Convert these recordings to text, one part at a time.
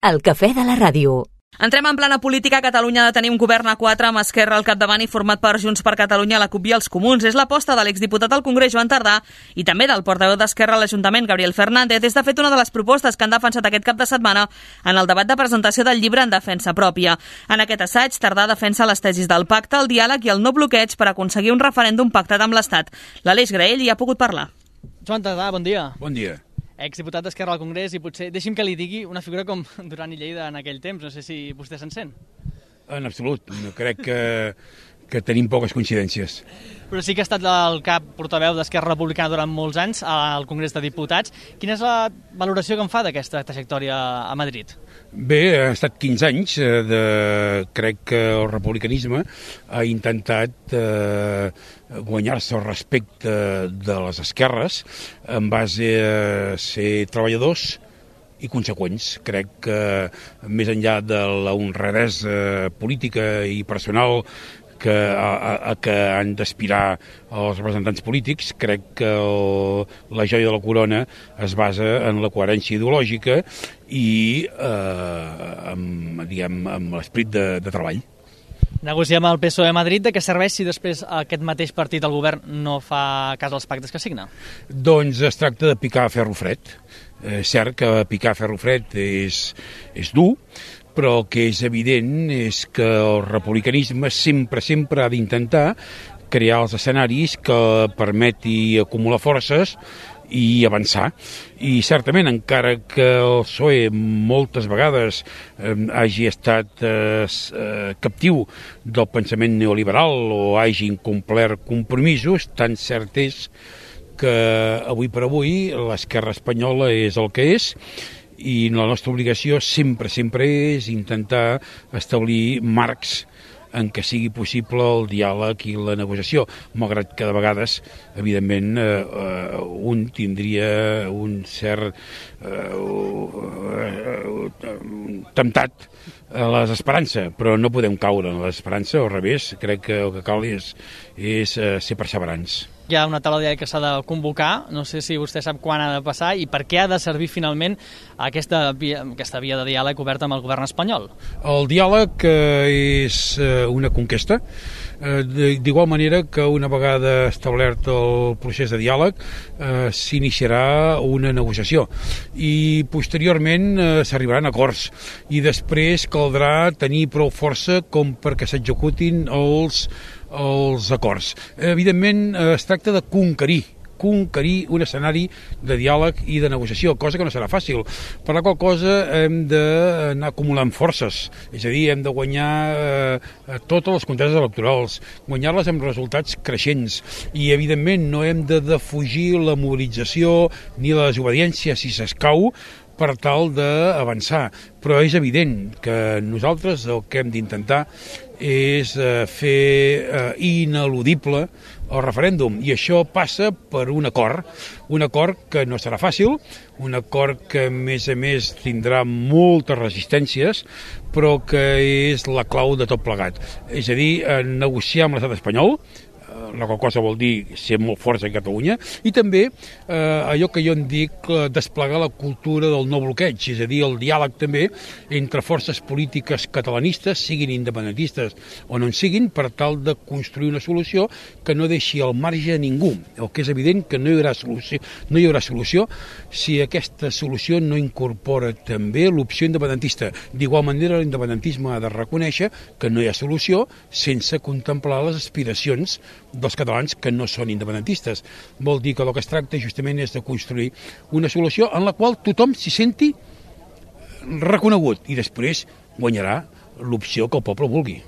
El cafè de la ràdio. Entrem en plana política. Catalunya ha de tenir un govern a 4 amb Esquerra al capdavant i format per Junts per Catalunya, la CUP i els Comuns. És l'aposta de l'exdiputat al Congrés, Joan Tardà, i també del portaveu d'Esquerra a l'Ajuntament, Gabriel Fernández. És de fet una de les propostes que han defensat aquest cap de setmana en el debat de presentació del llibre en defensa pròpia. En aquest assaig, Tardà defensa les tesis del pacte, el diàleg i el no bloqueig per aconseguir un referèndum pactat amb l'Estat. L'Aleix Graell hi ha pogut parlar. Joan Tardà, bon dia. Bon dia. Exdiputat d'Esquerra al Congrés, i potser deixi'm que li digui una figura com Duran i Lleida en aquell temps. No sé si vostè se'n sent. En absolut. No crec que tenim poques coincidències. Però sí que ha estat el cap portaveu d'Esquerra Republicana durant molts anys al Congrés de Diputats. Quina és la valoració que en fa d'aquesta trajectòria a Madrid? Bé, ha estat 15 anys. Crec que el republicanisme ha intentat guanyar-se el respecte de les esquerres en base a ser treballadors i conseqüents. Crec que més enllà de la honradesa política i personal que han d'aspirar els representants polítics, crec que la joia de la corona es basa en la coherència ideològica i amb l'esperit de treball. Negociar amb el PSOE a Madrid, de què serveix si després aquest mateix partit al govern no fa cas als pactes que signa? Doncs es tracta de picar ferro fred. És cert que picar ferro fred és dur, però el que és evident és que el republicanisme sempre ha d'intentar crear els escenaris que permeti acumular forces i avançar. I certament, encara que el PSOE moltes vegades hagi estat captiu del pensament neoliberal o hagi incomplert compromisos, tan cert és que avui per avui l'esquerra espanyola és el que és, i la nostra obligació sempre és intentar establir marcs en què sigui possible el diàleg i la negociació, malgrat que de vegades, evidentment, un tindria un cert temptat a l'esperança, però no podem caure en l'esperança, al revés, crec que el que cal és ser perseverants. Hi ha una taula de diàleg que s'ha de convocar, no sé si vostè sap quan ha de passar i per què ha de servir finalment aquesta via de diàleg oberta amb el govern espanyol. El diàleg és una conquesta, d'igual manera que una vegada establert el procés de diàleg s'iniciarà una negociació i posteriorment s'arribaran a acords i després caldrà tenir prou força com perquè s'executin els acords. Evidentment es tracta de conquerir un escenari de diàleg i de negociació, cosa que no serà fàcil, per la qual cosa hem d'anar acumulant forces, és a dir, hem de guanyar totes les conteses electorals, guanyar-les amb resultats creixents i evidentment no hem de defugir la mobilització ni la desobediència si s'escau per tal d'avançar, però és evident que nosaltres el que hem d'intentar és fer ineludible el referèndum, i això passa per un acord que no serà fàcil, un acord que a més tindrà moltes resistències, però que és la clau de tot plegat, és a dir, negociar amb l'estat espanyol, la qual cosa vol dir ser molt forts a Catalunya, i també allò que jo en dic desplegar la cultura del no bloqueig, és a dir, el diàleg també entre forces polítiques catalanistes, siguin independentistes o no en siguin, per tal de construir una solució que no deixi al marge a ningú. El que és evident que no hi haurà solució si aquesta solució no incorpora també l'opció independentista. D'igual manera, l'independentisme ha de reconèixer que no hi ha solució sense contemplar les aspiracions dels catalans que no són independentistes. Vol dir que el que es tracta justament és de construir una solució en la qual tothom s'hi senti reconegut i després guanyarà l'opció que el poble vulgui.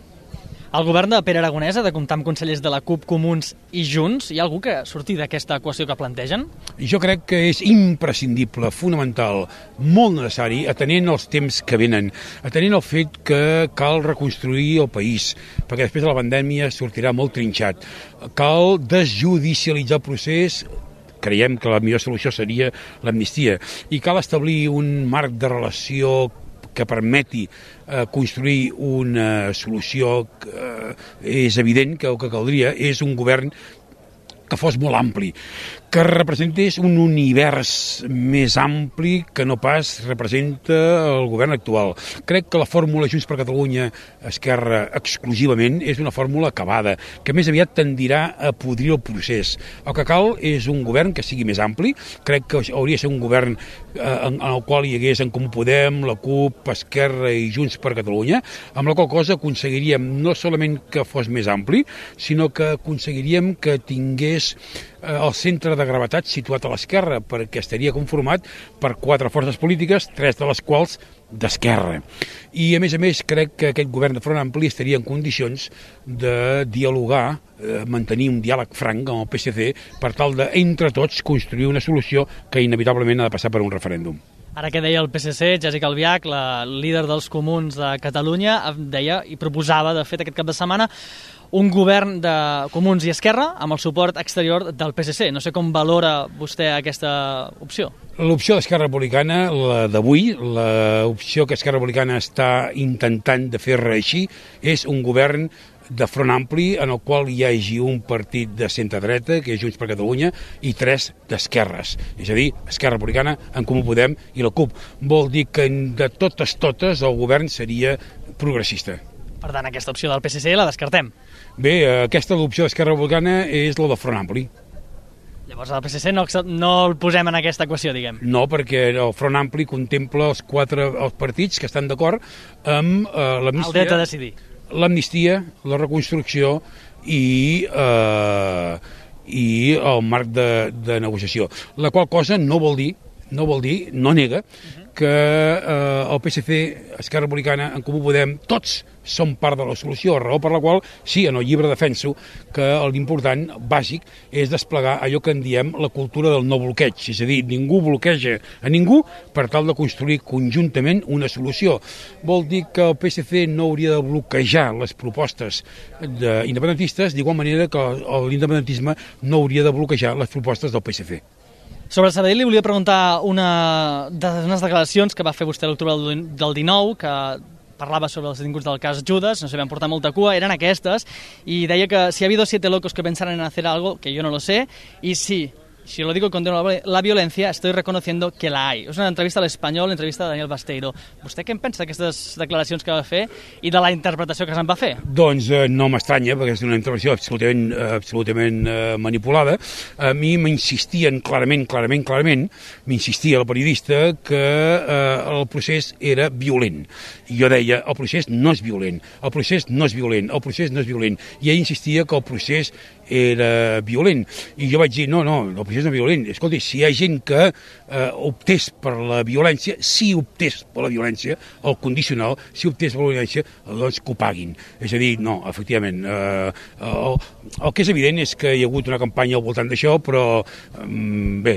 El govern de Pere Aragonès ha de comptar amb consellers de la CUP, Comuns i Junts. Hi ha algú que surti d'aquesta equació que plantegen? Jo crec que és imprescindible, fonamental, molt necessari, atenent els temps que venen, atenent el fet que cal reconstruir el país, perquè després de la pandèmia sortirà molt trinxat. Cal desjudicialitzar el procés, creiem que la millor solució seria l'amnistia, i cal establir un marc de relació que permeti construir una solució és evident que el que caldria és un govern que fos molt ampli, que representés un univers més ampli que no pas representa el govern actual. Crec que la fórmula Junts per Catalunya Esquerra exclusivament és una fórmula acabada, que més aviat tendirà a podrir el procés. El que cal és un govern que sigui més ampli. Crec que hauria de ser un govern en el qual hi hagués en Comú Podem, la CUP, Esquerra i Junts per Catalunya, amb la qual cosa aconseguiríem no solament que fos més ampli, sinó que aconseguiríem que tingués el centre de gravetat situat a l'esquerra, perquè estaria conformat per 4 forces polítiques, 3 de les quals d'esquerra. I, a més, crec que aquest govern de Front Ampli estaria en condicions de dialogar, mantenir un diàleg franc amb el PSC per tal de, entre tots, construir una solució que inevitablement ha de passar per un referèndum. Ara que deia el PSC, Jéssica Albiach, la líder dels comuns de Catalunya, deia i proposava, de fet, aquest cap de setmana, un govern de Comuns i Esquerra amb el suport exterior del PSC. No sé com valora vostè aquesta opció. L'opció d'Esquerra Republicana, la d'avui, l'opció que Esquerra Republicana està intentant de fer reeixir, és un govern de Front Ampli en el qual hi hagi un partit de centre-dreta, que és Junts per Catalunya, i 3 d'esquerres. És a dir, Esquerra Republicana, en Comú Podem i la CUP. Vol dir que de totes el govern seria progressista. Per tant, aquesta opció del PSC la descartem. Bé, aquesta opció d'Esquerra Republicana és la de Front Ampli. Llavors el PSC no el posem en aquesta equació, diguem. No, perquè el Front Ampli contempla els partits que estan d'acord amb l'amnistia. El dret a decidir. L'amnistia, la reconstrucció i el marc de negociació. La qual cosa no nega que el PSC, Esquerra Republicana, en Comú Podem, tots són part de la solució, raó per la qual, sí, en el llibre defenso que l'important, bàsic, és desplegar allò que en diem la cultura del no bloqueig, és a dir, ningú bloqueja a ningú per tal de construir conjuntament una solució. Vol dir que el PSC no hauria de bloquejar les propostes independentistes, d'igual manera que l'independentisme no hauria de bloquejar les propostes del PSC. Sobre Sabadell li volia preguntar unes declaracions que va fer vostè a l'octubre del 19, que parlava sobre els detinguts del cas Judas, no sé, van portar molta cua, eren aquestes, i deia que si ha habido 7 locos que pensaran en hacer algo, que yo no lo sé, y sí, si lo digo con la violencia, estoy reconociendo que la hay. És una entrevista a l'Espanyol, entrevista de Daniel Basteiro. Vostè què en pensa d'aquestes declaracions que va fer i de la interpretació que se'n va fer? Doncs no m'estranya, perquè és una intervenció absolutament manipulada. A mi m'insistien clarament, m'insistia el periodista que el procés era violent. I jo deia, el procés no és violent, el procés no és violent. I ell insistia que el procés era violent. I jo vaig dir, no, el procés no és violent. Escolti, si hi ha gent que optés per la violència, el condicional, si optés per la violència, doncs que ho paguin. És a dir, no, efectivament, el que és evident és que hi ha hagut una campanya al voltant d'això, però bé,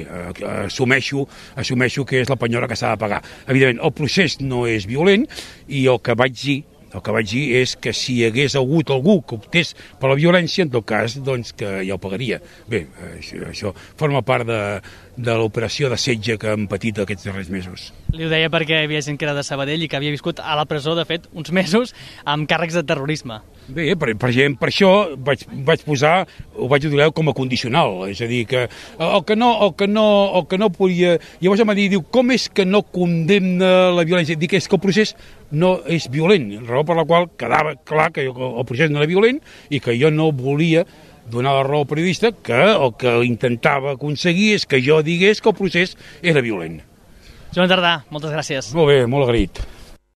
assumeixo que és la penyora que s'ha de pagar. Evidentment, el procés no és violent i el que vaig dir és que si hi hagués hagut algú que optés per la violència, en tot cas, doncs que ja ho pagaria. Bé, això forma part de l'operació de setge que hem patit aquests darrers mesos. Li ho deia perquè hi havia gent que era de Sabadell i que havia viscut a la presó, de fet, uns mesos amb càrrecs de terrorisme. Bé, per això vaig posar, ho vaig utilitzar com a condicional, és a dir, que el que no podia... Llavors em va dir, com és que no condemna la violència? Dic, és que el procés no és violent, raó per la qual quedava clar que el procés no era violent i que jo no volia donar la raó al periodista, que el que intentava aconseguir és que jo digués que el procés era violent. Joan Tardà, moltes gràcies. Molt bé, molt agraït.